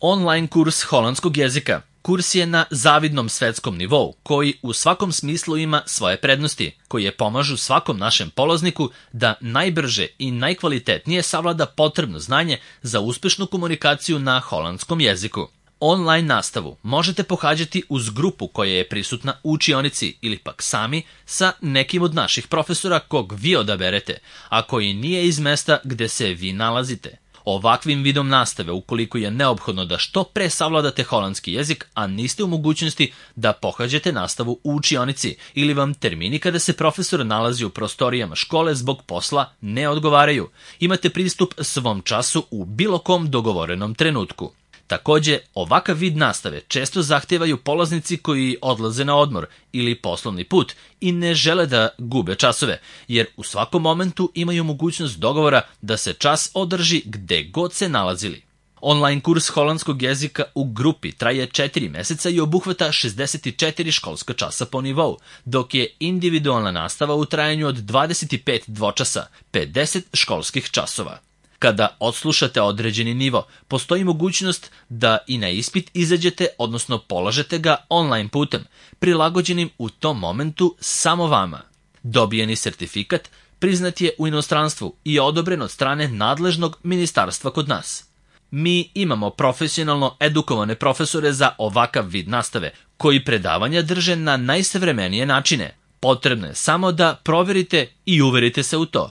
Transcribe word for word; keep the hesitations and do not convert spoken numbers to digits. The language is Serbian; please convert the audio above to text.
Online kurs holandskog jezika. Kurs je na zavidnom svetskom nivou, koji u svakom smislu ima svoje prednosti, koje pomažu svakom našem polazniku da najbrže i najkvalitetnije savlada potrebno znanje za uspešnu komunikaciju na holandskom jeziku. Online nastavu možete pohađati uz grupu koja je prisutna u učionici ili pak sami sa nekim od naših profesora kog vi odaberete, a koji nije iz mesta gde se vi nalazite. Ovakvim vidom nastave, ukoliko je neophodno da što pre savladate holandski jezik, a niste u mogućnosti da pohađate nastavu u učionici ili vam termini kada se profesor nalazi u prostorijama škole zbog posla ne odgovaraju, imate pristup svom času u bilo kom dogovorenom trenutku. Takođe, ovakav vid nastave često zahtevaju polaznici koji odlaze na odmor ili poslovni put i ne žele da gube časove, jer u svakom momentu imaju mogućnost dogovora da se čas održi gde god se nalazili. Online kurs holandskog jezika u grupi traje četiri meseca i obuhvata šezdeset četiri školska časa po nivou, dok je individualna nastava u trajanju od dvadeset pet dvočasa, pedeset školskih časova. Kada odslušate određeni nivo, postoji mogućnost da i na ispit izađete, odnosno polažete ga online putem, prilagođenim u tom momentu samo vama. Dobijeni sertifikat priznat je u inostranstvu i odobren od strane nadležnog ministarstva kod nas. Mi imamo profesionalno edukovane profesore za ovakav vid nastave, koji predavanja drže na najsavremenije načine. Potrebno je samo da proverite i uverite se u to.